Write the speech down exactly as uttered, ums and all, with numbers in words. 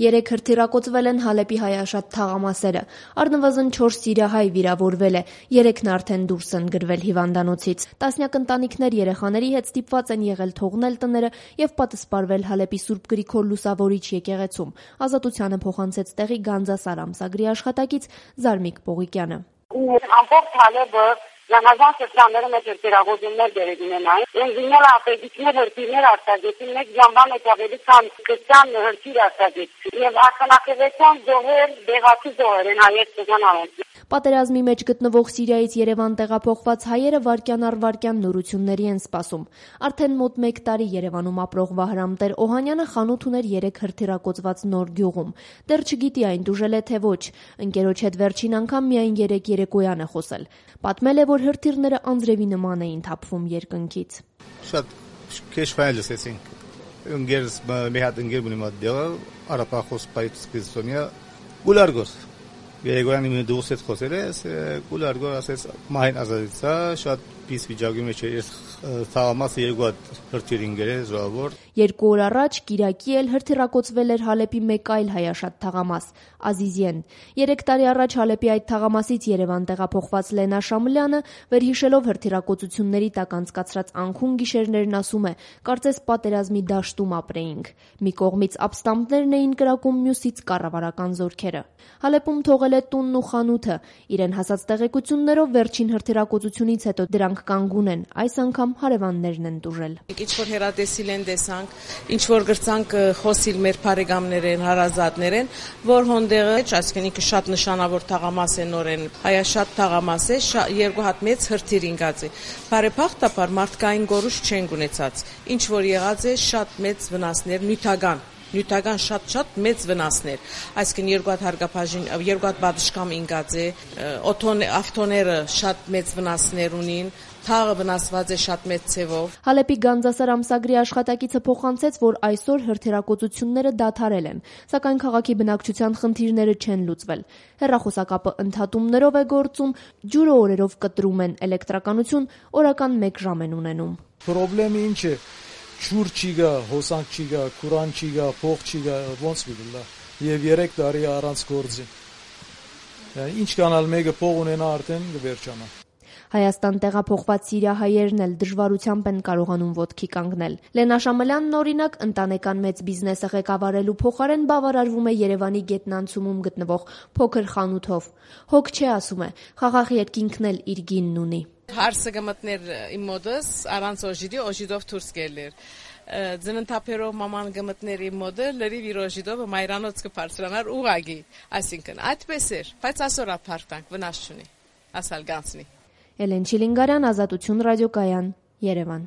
Երեք հրթիռակոծվել են Հալեպի հայաշատ թաղամասերը։ Առնվազն չորս սիրիահայ վիրավորվել է, երեքն արդեն դուրս են գրվել հիվանդանոցից։ Տասնյակ ընտանիքներ երեխաների հետ ստիպված են եղել թողնել տները եւ պատսպարվել Հալեպի Սուրբ Գրիգոր Լուսավորիչ եկեղեցում։ Ազատությանը փոխանցեց տեղի Գանձասար ամսագրի աշխատակից Զարմիկ Պողիկյանը։ Ամբողջ Հալեպը Լամազան շրջանները մեջ հրթիռակոծումներ դերեկ ունենային։ Ինժեներ ապեդիկներ հրթիռներ արձակեցին, մեկ ժամվա մեջ ավելի քան քրիստիան հրթիռ արձակեցին։ Եվ արտանախևեցան զոհեր, դեղացի զոհեր են հայեր ցանավեն։ Պատերազմի մեջ գտնվող Սիրիայից Երևան տեղափոխված հայերը վայրկյան առ վայրկյան նորությունների են սպասում։ Արդեն մոտ մեկ տարի Երևանում ապրող Վահրամ Տեր Օհանյանը խանութ ուներ երեք հրթիռակոծված նոր գյուղում։ Դեռ չգիտի այն դուժել է թե ոչ։ Ընկերոջ հետ վերջին անգամ միայն երեք երեկոյան է խոսել։ Պատմել է, որ հրթիռները անձրևի նման էին թափվում երկնքից։ Շատ քեշ ֆայլ լսեցինք։ Ընկերս մի հատ ընկեր ունի մոտ արապախոս պայծկիզոնիա գուլարգոս։ Երեգորանի մի դուսետ խոսել է, գուլարգո ասես մահին ազատեցա, շատ պիս վիճակի մեջ էր թաղամասը երկու հատ հրթիռ ինգերել զոհավոր։ Երկու օր առաջ Կիրակի էլ հրթիռակոծվել էր Հալեպի մեկ այլ հայաշատ թաղամաս՝ Ազիզիեն։ Երեք տարի առաջ Հալեպի այդ թաղամասից Երևան տեղափոխված Լենա Շամլյանը վերհիշելով հրթիռակոծությունների տակ անցկացրած անքուն գիշերներն ասում է. «Կարծես պատերազմի դաշտում ապրեինք։ Մի կողմից ապստամբներն էին կրակում, մյուսից կառավարական զորքերը»։ Հալեպում թողել է տունն ու խանութը։ Իրեն հասած տեղեկություններով վերջին հրթիռակոծությունից հետո դրանք կանգուն են, այս անգամ հարևաններն են տուժել։ Ինչ որ հերատեսիլ են տեսանք, ինչ որ գրծանք խոսիլ մեր բարեկամներեն, հարազատներեն, որ հոնդեղը, այսինքն ինքը շատ նշանավոր թաղամաս է նորեն, հայաշատ թաղամաս է, երկու հատ մեծ հրթիռ ինգած է։ Բարեփոխտաբար մարդկային գորուշ չեն ունեցած։ Ինչ որ եղած է շատ մեծ վնասներ, նյութական նյութական շատ-շատ մեծ վնասներ, այսինքն երկու հատ հարգապաշին, երկու հատ բադշկամ ինգած է, օթոն ավտոները շատ մեծ վնասներ ունին, թաղը վնասված է շատ մեծ ցևով։ Հալեպի Գանձասար ամսագրի աշխատակիցը փոխանցեց, որ այսօր հրթիռակոծությունները դադարել են, սակայն քաղաքի բնակչության խնդիրները չեն լուծվել։ Հեռախոսակապը ընդհատումներով է գործում, ջուրը օրերով կտրում են, էլեկտրականություն օրական մեկ ժամ են ունենում։ Պրոբլեմը ինչ է։ Չուր չի գա, հոսանք չի գա, կուրան չի գա, փող չի գա, ոնց միլա։ Եվ երեք տարի առանց գործի։ Ինչ կանալ մեկը փող ունենա արդեն կվերջանա։ Հայաստան տեղափոխված սիրիահայերն էլ դժվարությամբ են կարողանում ոտքի կանգնել։ Լենա Շամլյանն օրինակ ընտանեկան մեծ բիզնեսը ղեկավարելու փոխարեն բավարարվում է Երևանի գետնանցումում գտնվող փոքր խանութով։ Հոգ չէ, ասում է, խաղաղ երկինքն էլ իր գինն ունի։ Հարսը գմտներ իմ մոդս առանց օժիդի օժիդով դուրս գելեր։ Ձնընթափերով մաման գմտներ իմ մոդը լրիվ իր օժիդով մայրանոց կբարձրանար ուղագի, այսինքն այդպես էր, բայց այսօր ապարտանք վնաս չունի, ասալ գանցնի։ Էլեն Չիլինգարյան, Ազատություն ռադիոկայան, Երևան։